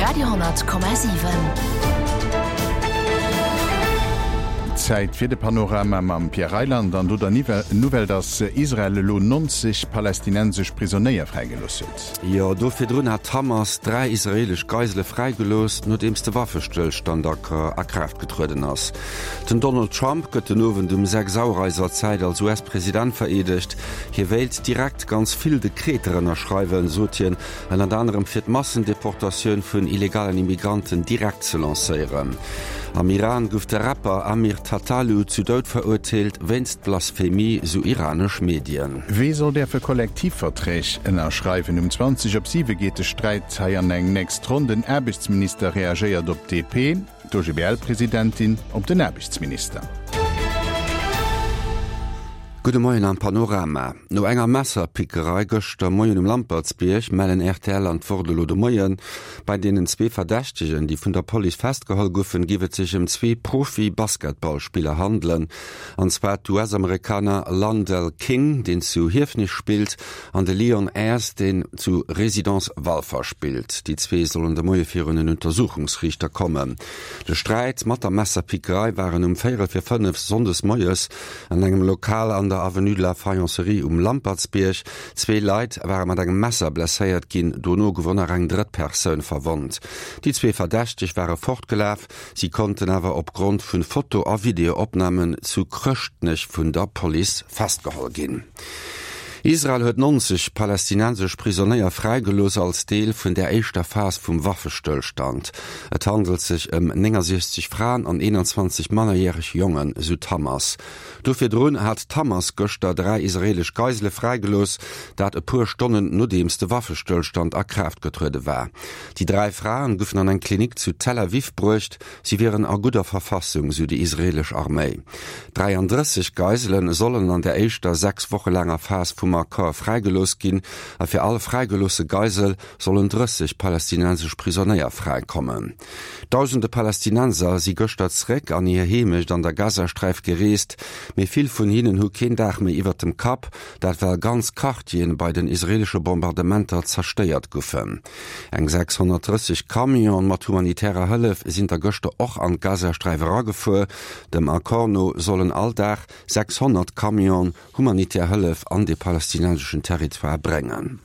Radio,7. Zäit fir de Panorama mam Pierre Reyland an do der Nouvelle, dass Israel elo 90 palästinensesch Prisonéier fräigelooss huet. Jo, do virdrun hat d'Hamas 3 israeelesch Geisele fräigelooss, nodeems de Waffestëllstand a Kraaft getrueden ass. Den Donald Trump gëtt den Owend um 6 Auer eiser Zäit als US-President vereedegt. Hie wéilt direkt ganz vill Dekreter ënnerschreiwen, sot hien, ënnert anerem fir d'Massendeportatioun vun illegalen Immigranten direkt ze lancéieren. Am Iran gouf de Rapper Amir Tataloo zu Doud verurteelt, wéinst Blasphemie, sou iranesch Medien. Wee soll däerfe Kollektivverträg ënnerschreiwen? Um 20 op 7 geet de Sträit hei an eng nächst Ronn. Den Aarbechtsminister reagéiert op d'DP. D'OGBL-Presidentin op den Aarbechtsminister. Gudde Moien am Panorama. No enger Messerpickerei gëschter Moien um Lampertsbierg mellen rtl an d'Wort elo de Moien. Bei deenen zwee Verdächtegen, déi vun der Police festgeholl goufen, géif et sech ëm zwee Profi-Basketballspiller handelen. An zwar d'US-Amerikaner Landell King, deen zu Hiefenech spillt, An de Leon Ayres, deen zu Résidence Walfer spillt. Déi zwee sollen de Moie virun en Untersuchungsriichter kommen. De Sträit mat der Messerpickerei waren um véierel fir 5 sonndes moies an engem Lokal an der Avenue de la Faïencerie um Lampertsbierg. Zwee Leit ware mat engem Messer blesséiert ginn, dono gouf och nach eng drëtt Persoun verwonnt. Déi zwee Verdächteg ware fortgelaf, si konnten awer opgrond vun Foto a Videoopnamen zu Chrëschtnech vun der Police festgeholl ginn. Israel huet 90 palästinensesch Prisonéier fräigelooss als Deel vun der éischter Phas vum Waffestëllstand. Et handelt sech ëm 69 Fraen an 21 mannerjäreg Jongen, sou d'Hamas. Do virdrun hat d'Hamas gëschter 3 israeelesch Geisele fräigelooss, dat e puer Stonnen nodeems de Waffestëllstand a Kraaft getruede war. Déi 3 Fraen goufen an eng Klinik zu Tel Aviv bruecht. Si wieren a gudder Verfassung, sou déi israeelesch Arméi. 33 Geisele sollen an der éischter 6 Woche laanger Phas vum Accord fräigelooss ginn a fir all fräigeloosse Geisel sollen 30 palästinensesch Prisonéier fräikommen. Dausende Palästinenser si gëschter zeréck an hir Heemecht an der Gazasträif gereest, mee vill vun hinnen hu keen Daach méi iwwert dem Kapp, dat well ganz Quartieren bei den israeelesche Bombardementer zerstéiert goufen. Eng 630 Camionen mat humanitärer Hëllef sinn der gëschter och an d'Gazasträif eragefuer. Dem Accord no sollen all Dag 600 Camionen humanitär Hëllef an de palästinenseschen Territoire bréngen.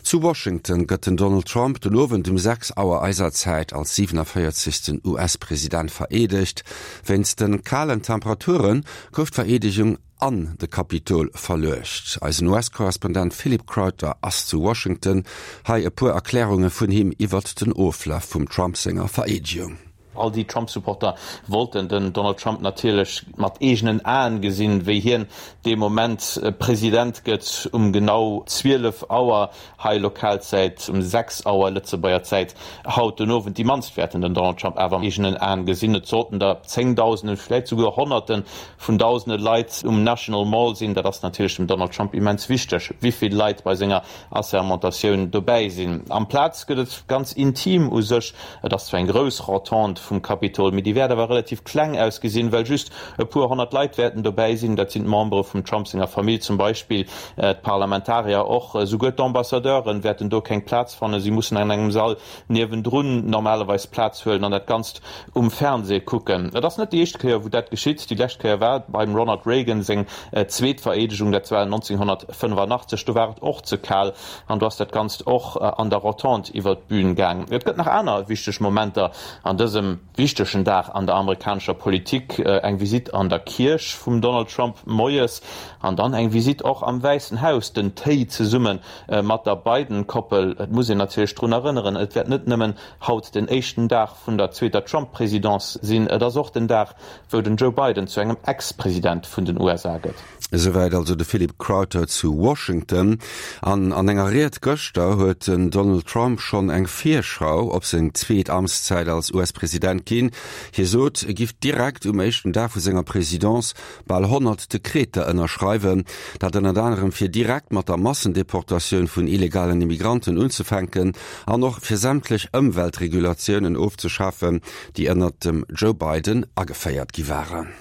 Zu Washington gëtt den Donald Trump den Owend um 6 Auer eiser Zäit als 47. US-President vereedegt. Wéinst de kalen Temperature gouf d'Vereedegung an de Kapitol verluecht. Eisen US-Korrespondent Philip Crowther ass zu Washington. Hei e puer Erklärunge vun him iwwert den Oflaf vum Trump senger Vereedegung. All déi Trump-Supporter wollten den Donald Trump natierlech mat eegenen Aen gesinn, wéi hien dee Moment President gëtt, um genau 12 Auer hei Lokalzäit, um 6 Auer Lëtzebuerger Zäit haut den Owend. Déi mannst wäerten den Donald Trump awer mat eegenen Aen gesinn. Et sollten der Zéngdausenden, vläicht souguer Honnerte vun dausende Leit um National Mall sinn. Dat ass natierlech dem Donald Trump immens wichteg, wéi vill Leit bei senger Assermentatioun dobäi sinn. Amplaz gëtt et ganz intim u sech. Et ass zwar eng grouss Rotonde vum Capitol, mee déi wäert awer relativ kleng ausgesinn, well just e puer 100 Leit wäerten dobäi sinn. Dat sinn d'Membere vum Trump senger Famill zum Beispill, d'Parlamentarier och, esouguer d'Ambassadeure wäerten do keng Plaz fannen. Si mussen an engem Sall niewendrun normalerweis Plaz huelen an dat Ganzt um Fernseh kucken. Et ass net déi éischt Kéier, wou dat geschitt. Déi lescht Kéier war beim Ronald Reagan seng zweet Vereedegung, dat war 1985. Do war et och ze kal an do ass dat Ganzt och an der Rotonde iwwer d'Bün gaang. Et gëtt nach aner wichteg Momenter an dësem wichtegen Dag an der amerikanescher Politik, eng Visitt an der Kierch vum Donald Trump moies an dann eng Visitt och am Wäissen Haus, den Téi zesumme mat der Biden-Koppel. Et muss een natierlech drun erënneren, et wäert net nëmmen haut den éischten Dag vun der zweeter Trump-Presidence sinn, et ass och den Dag, wou den Joe Biden zu engem Ex-President vun den USA gëtt. Esouwäit also de Philip Crowther zu Washington. An an enger Ried gëschter huet den Donald Trump schonn eng Virschau op seng zweet Amtszäit als US-President ginn. Hie sot, e giff direkt um éischten Dag vu senger Presidence bal 100 Dekreter ënnerschreiwen, dat ënnert anerem fir direkt mat der Massendeportatioun vun illegalen Immigranten unzefänken an och fir sämtlech Ëmweltregulatiounen ofzeschafen, déi ënnert dem Joe Biden ageféiert gi waren.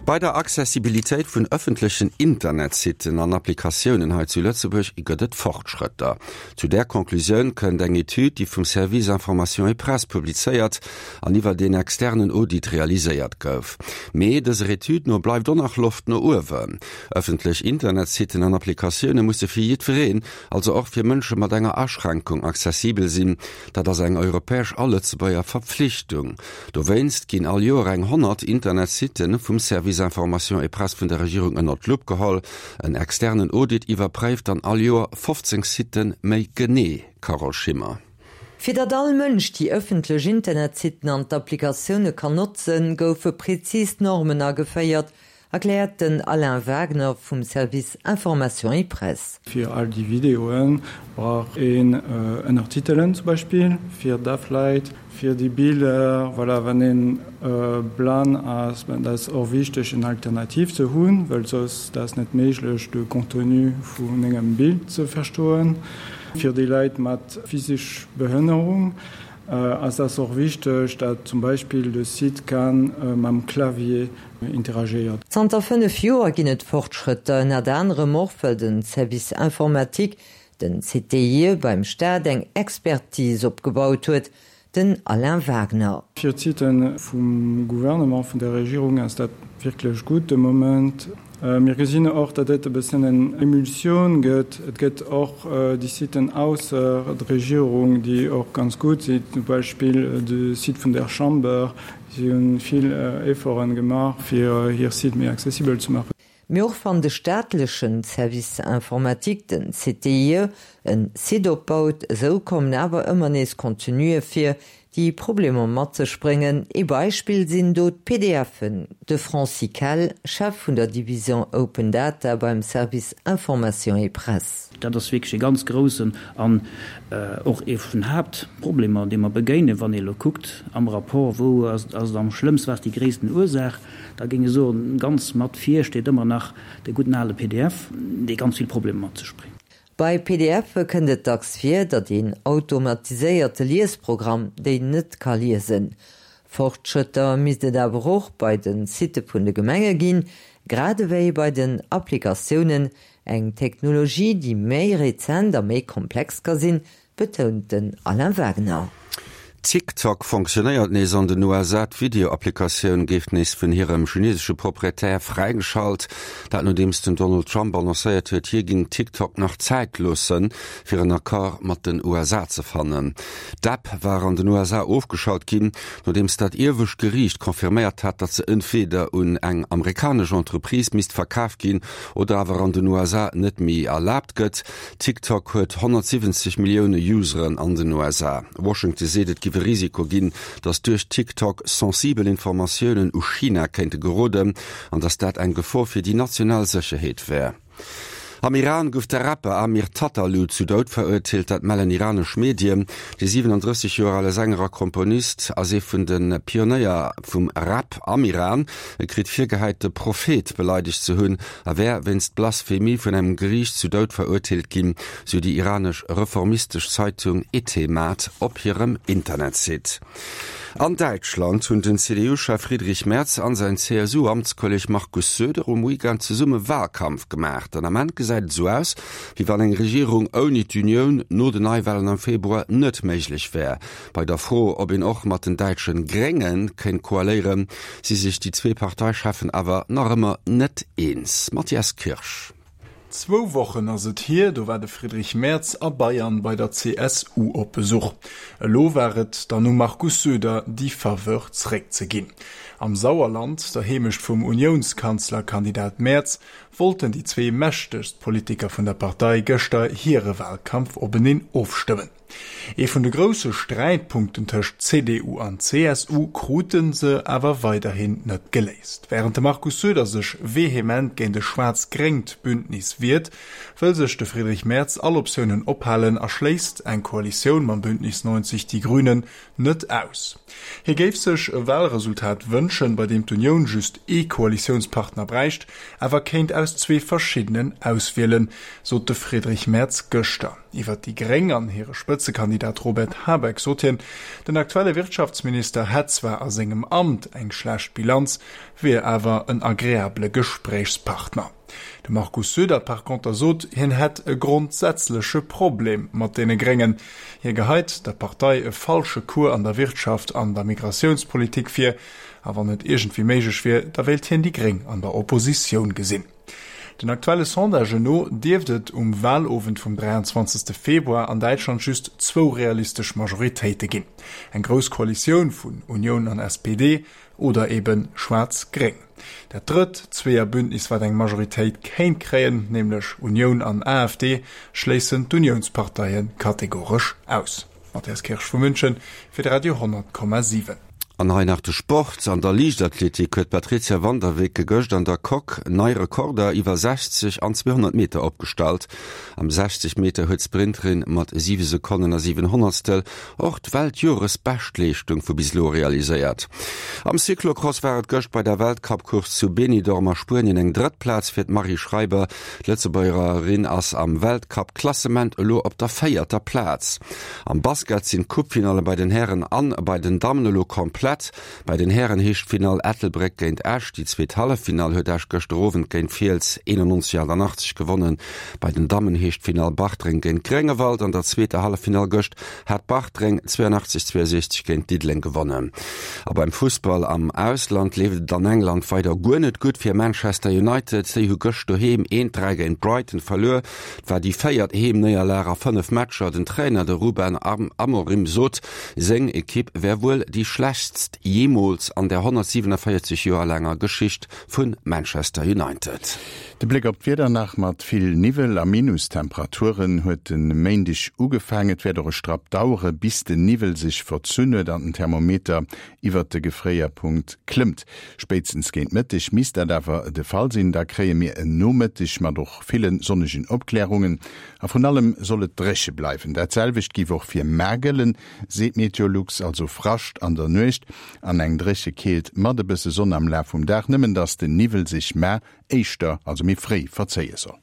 Bei der Accessibilitéit vun ëffentlechen Internetsitten an Applikatiounen hei zu Lëtzebuerg gëtt et Fortschrëtter. Zu där Conclusioun kënnt eng Etüd, déi vum Service Information et Presse publizéiert an iwwert een externen Audit realiséiert gouf. Mee dëser Etüd no bleift och nach Loft no uewen. Ëffentlech Internetsitten an Applikatioune musse fir jiddwereen, also och fir Mënsche mat enger Aschränkung, accessibel sinn. Dat ass eng europäesch a Lëtzebuerger Verpflichtung. Dowéinst ginn all Joer eng 100 Internetsitte vum Service Information et Presse vun der Regierung ënnert d'Lupp geholl. En externen Audit iwwerpréift dann all Joer 15 Siten méi genee. Carole Schimmer. Fir datt all Mënsch déi ëffentlech Internetsitten an d'Applikatioune kann notzen, goufe prezis Normen ageféiert, erkläert den Alain Wagner vum Service Information et Presse. Fir all déi Videoe brauch een Ënnertitelen zum Beispill fir daf Leit, fir déi Biller, voilà, wann een blann ass, ben dat ass och wichteg en Alternativ ze hunn, well soss dat ass net méiglech de Contenu vun engem Bild ze verstoen. Fir déi Leit mat physesch Behënnerung ass dat och wichteg, dat zum Beispill de Site kann mam Clavier interagéiert. Zanter 5 Joer ginn et Fortschrëtter, ënnert anerem och well de Service informatique, den CTIE, beim Staat eng Expertise opgebaut huet, den Alain Wagner. Fir d'Siten vum Gouvernement, vun der Regierung ass dat wierklech gutt de Moment. Mir gesinn och, datt et e bëssen eng Emulsioun gëtt. Et gëtt och déi Siten ausser der Regierung, déi och ganz gutt sinn, zum Beispill de Site vun der Chamber, Si hunn vill Efforten gemaach fir hir Site méi accessibel ze maachen. Mee och wann de staatlechen Service informatique, den CTIE, en Site opbaut, esou kommen awer ëmmer nees Contenue vir, déi Problemer mat sech bréngen. Ee Beispill sinn do d'PDFen. De Francis Kell, Chef vun der Division Open Data beim Service Information et Presse. Dat ass wierklech e ganz groussen an och ee vun Haaptproblemer, deem mer begéinen, wann ee elo kuckt am Rapport, wou ass et am schlëmmst, wat ass déi gréissten Ursaach, da géing ech soen, ganz mat vir steet ëmmer nach de gudden ale pdf, dee ganz vill Problemer mat sech bréngt. Bei PDFe kënnt et dacks vir, datt een automatiséierte Liesprogramm déi net ka liesen. Fortschrëtter misst et awer och bei de Sitte vun de Gemenge ginn, grad ewéi bei den Applikatiounen, Eng Technologie, déi méi rezent a méi komplex ka sinn, betount den Alain Wagner. TikTok fonctionnéiert nees an den USA. D'Video-Applikatioun géif nees vun hirem chinesesche Proprietär fräigeschalt. Dat nodeems den Donald Trump annoncéiert huet, hie géing TikTok nach Zäit loossen, fir en Accord mat den USA ze fannen. D'App war an den USA ofgeschalt ginn, nodeems dat iewescht Geriicht confirméiert hat, datt se entweeder un eng amerikanesch Entreprise misst verkaf ginn oder awer an den USA net méi erlaabt gëtt. TikTok huet 170 Millioune Useren an den USA. Washington seet, et giff e Risiko ginn, datt duerch TikTok sensibel Informatiounen u China kéinte geroden an datt dat eng Gefor fir déi national Sécherheet wär. Am Iran gouf de Rapper Amir Tataloo zu Doud verurteelt, dat mellen iranesch Medien. De 37 Joer ale Sänger a Komponist ass ee vun de Pionéier vum Rap am Iran. E kritt virgehäit, de Prophet beleidegt ze hunn a wär wéinst Blasphemie vun engem Geriicht zu Doud verurteelt ginn, sou déi iranesch reformistesch Zeitung Etemad op hirem Internetsite. An Däitschland hunn den CDU-Chef Friedrich Merz an säin CSU-Amtskolleg Markus Söder um Weekend zesumme Walkampf gemaach. Den Ament gesäit et sou aus, wéi wann eng Regierung ouni d'Unioun no den Neiwalen am Februar net méiglech wär. Bei der Fro, ob een och mat den däitsche Grénge kéint koaléieren, si sech déi zwee Parteicheffen awer nach ëmmer net eens. Mathias Kirsch. Zwou Wochen ass et hier, do war de Friedrich Merz a Bayern bei der CSU op Besuch. Elo war et dann um Markus Söder, déi Faveur zeréckzeginn. Am Sauerland, der Heemecht vum Uniounskanzlerkandidat Merz, wollten déi zwee mächtegst Politiker vun der Partei gëschter hire Walkampf openeen ofstëmmen. Ee vun de grousse Sträitpunkten tëscht CDU an CSU krute se awer weiderhin net geléist. Wärend de Markus Söder sech vehement géint e schwaarz-gréngt Bündnis wiert, wëll sech de Friedrich Merz all Optiounen ophalen a schléisst eng Koalitioun mam Bündnis 90 Die Grünen net aus. Hie géif sech e Walresultat wënschen, bei deem d'Unioun just ee Koalitiounspartner bräicht, awer kéint aus zwee verschiddenen auswielen, sot de Friedrich Merz gëschter. Iwwer déi Gréng an hire Spëtzekandidat Robert Habeck sot hien, den aktuelle Wirtschaftsminister hätt zwar a sengem Amt eng schlecht Bilanz, wier awer en agreabele Gespréichspartner. De Markus Söder par conter sot, hien hätt e grondsätzleche Problem mat deene Gréngen. Hie geheit der Partei e falsche Cours an der Wirtschaft an der Migratiounspolitik vir, a wann et iergendwéi méiglech wier, da wéilt hien déi Gréng an der Oppositioun gesinn. Den aktuelle Sondagen no dierft et um Walowend vum 23. Februar an Däitschland just zwou realistesch Majoritéite ginn, eng grouss Koalitioun vun Unioun an SPD oder ebe Schwaarz-Gréng. Dat drëtt Zweeërbündnis, wat eng Majoritéit kéint kréien, nämlech Unioun an AfD, schléissen d'Uniounsparteie kategoresch aus. Matthias Kirsch vu München fir de Radio 10,7. An hei nach de Sport, An der Liichtathletik huet d'Patrizia van der Weken gëscht an der Coque nei Rekorder iwwer 60 an 200 Meter opgestallt. Am 60 Meter huet d'Sprinterin mat 7 Sekonnen a 7 Honnertstel och d'Weltjoresbeschtleeschtung vu bis elo realiséiert. Am Cyclocross war et gëscht bei der Weltcup-Course zu Benidorm a Spuenien eng drëtt Plaz fir d'Marie Schreiber. D'Lëtzebuergerin ass am Weltcup-Klassement elo op der véierter Plaz. Am Basket sinn d'Coupe-Finalle bei den Hären an bei den Dammen elo komplett. Bei den Hären heescht d'Finall Ettelbréck géint Esch. Déi zweet Halleffinall huet Esch gëschter Owend géint Fiels 91, 88 gewonnen. Bei den Dammen heescht d'Finall Bartreng géint Gréngewald. An der zweeter Halleffinall gëscht hat Bartreng 82, 62 géint Diddeleng gewonnen. A beim Fussball am Ausland leeft et an England weider guer net gutt fir Manchester United. Déi hu gëscht doheem 1, 3 géint Brighton verluer. Et war déi véiert Heemnéierlag a 5 Matcher. Den Trainer, de Ruben Amorim, sot, seng Ekipp wär wuel déi schlechtst jeemools an der 147 Joer laanger Geschicht vu Manchester United. De Bléck op d'Wieder nach, Mat vill Niwwel a Minustemperaturen huet de Méindeg ugefaangen. Et wäert och e Strapp dauere bis de Niwwel sech verzunn huet an den Thermometer iwwert de Gefréierpunkt klëmmt. Spéitstens géint Mëtteg misst dat awer de Fall sinn. Da kréie mir en Nomëtteg mat och ville sonnegen Opklärungen a vrun allem soll et dréche bleiwen. Dat selwecht géif och fir mar gëllen, seet Meteolux, also Frascht an der Nuecht an eng dréche Keelt mat e bësse Sonn am Laf vum Dag, nëmmen dass den Niwwel sech mar éischter, also méi fréi, verzéie soll.